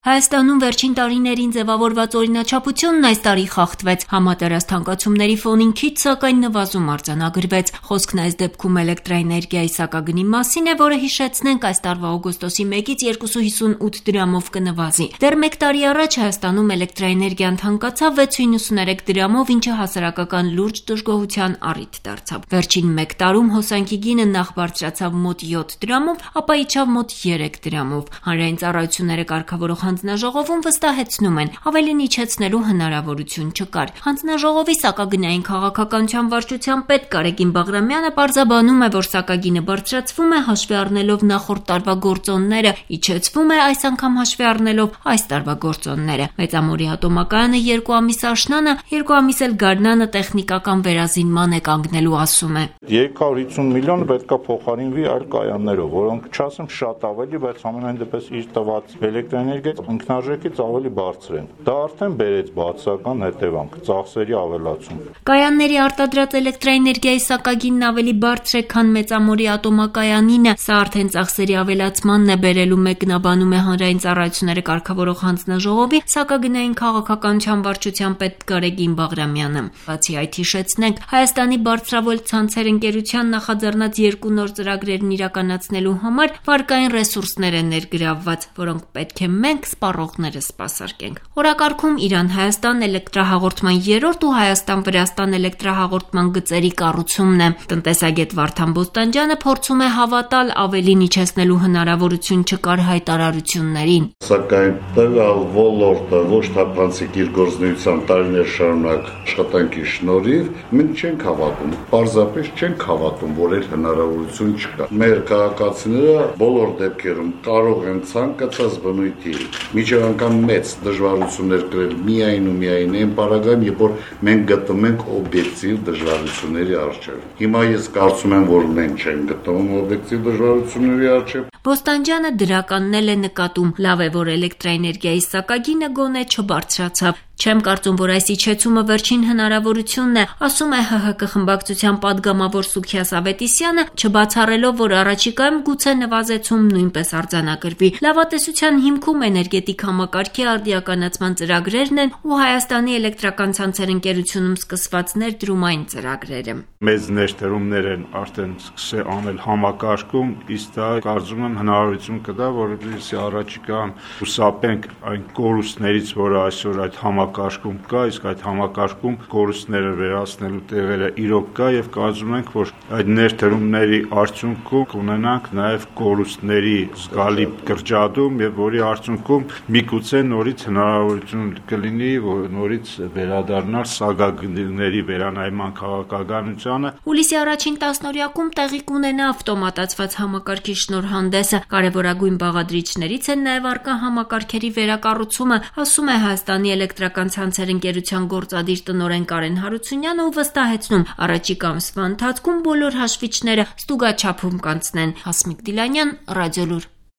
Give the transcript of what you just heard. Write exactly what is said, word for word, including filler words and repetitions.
Հայաստանում վերջին տարիներին ձևավորված օրինաչափությունն այս տարի խախտվեց, համատեղած թանկացումների ֆոնին քիչ սակայն նվազում արձանագրվեց։ Խոսքն այս դեպքում էլեկտրաէներգիայի սակագնի մասին է, որը հիշեցնենք այս տարվա օգոստոսի մեկից երկուսուց հիսունութ դրամով կնվազի։ Դեռ մեկ տարի առաջ Հայաստանում էլեկտրաէներգիան թանկացավ վեցուց հինգսունութ դրամով, ինչը հասարակական լուրջ դժգոհության առիթ դարձավ։ Վերջին մեկ տարում հոսանքի գինը նախ բարձրացավ մոտ յոթ դրամով, ապա իջավ մոտ երեք դրամով։ Հանրային ծառայությունները կարգավորող հանձնաժողովում վստահեցնում են, ավելին իջեցնելու հնարավորություն չկար։ Հանձնաժողովի սակագնային քաղաքականության վարչության պետ Գարեգին Բաղրամյանը պարզաբանում է, որ սակագինը բարձրացվում է հաշվի առնելով նախորդ տարվա գործոնները, իջեցվում է այս անգամ հաշվի առնելով այս տարվա գործոնները։ Մեծամորի ատոմակայանը երկու ամիս աշնանը, երկու ամիս էլ գարնանը տեխնիկական վերազինման է կանգնելու, ասում է։ երկու հարյուր հիսուն միլիոն պետք է փոխարինվի այլ կայաններով, որոնք չասեմ շատ ավելի, բայց ամենայն դեպս իր տված էլեկտրաէներգիայի ինքնարժեքից ավելի բարձր են։ Դա արդեն բերեց բացասական հետևանք, ծախսերի ավելացում։ Կայանների արտադրած էլեկտրաէներգիայի սակագինն ավելի բարձր է, քան Մեծամորի ատոմակայանինը, սա արդեն ծախսերի ավելացմանն է բերելու, մեկնաբանում է հանրային ծառայությունները կարգավորող հանձնաժողովի սակագնային քաղաքականության վարչության պետ Գարեգին Բաղրամյանը։ Բացի այդ, հիշեցնենք, Հայաստանի բարձրավոլ ցանցեր ընկերության նախաձեռնած երկու նոր ծրագրերն իրականացնելու համար վարկային ռեսուրսներ են ներգրավված, որոնք պետք է մենք սպառողները սպասարկենք։ Օրակարգում Իրան-Հայաստան էլեկտրահաղորդման երրորդ ու Հայաստան-Վրաստան էլեկտրահաղորդման գծերի կառուցումն է։ Տնտեսագետ Վարդան Բոստանջյանը փորձում է հավատալ, ավելին իջեցնելու հնարավորություն չկար հայտարարություններին։ Սակայն տվյալ ոլորտը ոչ թափանցիկ իր գործունեության տարիներ շարունակ աշխատանքի շնորհիվ մենք չենք հավատում, պարզապես չենք հավատում, որ այդ հնարավորություն չկա։ Մեր քաղաքացիները բոլոր դեպքերում կարող են ցանկացած բնույթի միջև անգամ մեծ դժվարություններ կրել միայն ու միայն այն պարագայում, երբ որ մենք գտնվում ենք օբյեկտիվ դժվարությունների առջև։ Հիմա ես կարծում եմ, որ մենք չենք գտնվում օբյեկտիվ դժվարությունների առջև։ Բոստանջյանը դրականն է նկատում, լավ է, որ էլեկտրաէներգիայի սակագինը գոնե չբարձրացավ։ Չեմ կարծում, որ այս իջեցումը վերջին հնարավորությունն է, ասում է ՀՀԿ խմբակցության падգամավոր Սուքիաս Ավետիսյանը, չբացառելով, որ առաջիկայում գուցե նվազեցում նույնպես արձանագրվի։ Լավատեսության հիմքում էներգետիկ համակարգի արդիականացման ծրագրերն են ու Հայաստանի էլեկտրական ցանցեր ընկերությունում սկսված ներդրումային ծրագրերը։ Մեծ ներդրումներ են արդեն սկսել անել համակարգում, իսկ դա կարծում եմ հնարավորություն կտա, որովհետեւ առաջիկայում հուսափենք այն կորուստներից, որը այսօր այդ համակարգում կա, իսկ այդ համակարգում կորուստները վերացնելու տեղերը իրոք կա եւ կարծում ենք, որ այդ ներդրումների արդյունքում կունենանք նաեւ կորուստների զգալի կրճատում եւ որի արդյունքում միգուցե նորից հնարավորություն կլինի, որ նորից վերադառնալ սակագների վերանայման քաղաքականությանը։ Հուլիսի առաջին տասնօրյակում տեղի կունենա ավտոմատացված համակարգի շնորհանդեսը։ Կարևորագույն բաղադրիչներից են նաեւ առկա համակարգերի վերակառուցումը, ասում է Հայաստանի էլեկտրական ցանցեր ընկերության գործադիր տնօրեն Կարեն Հարությունյանը ու վստահեցնում, առաջիկա ամսվա ընթացքում բոլոր հաշվիչները ստուգաչափում կանցնեն։ Հասմիկ Դիլանյան, Ռադիոլուր։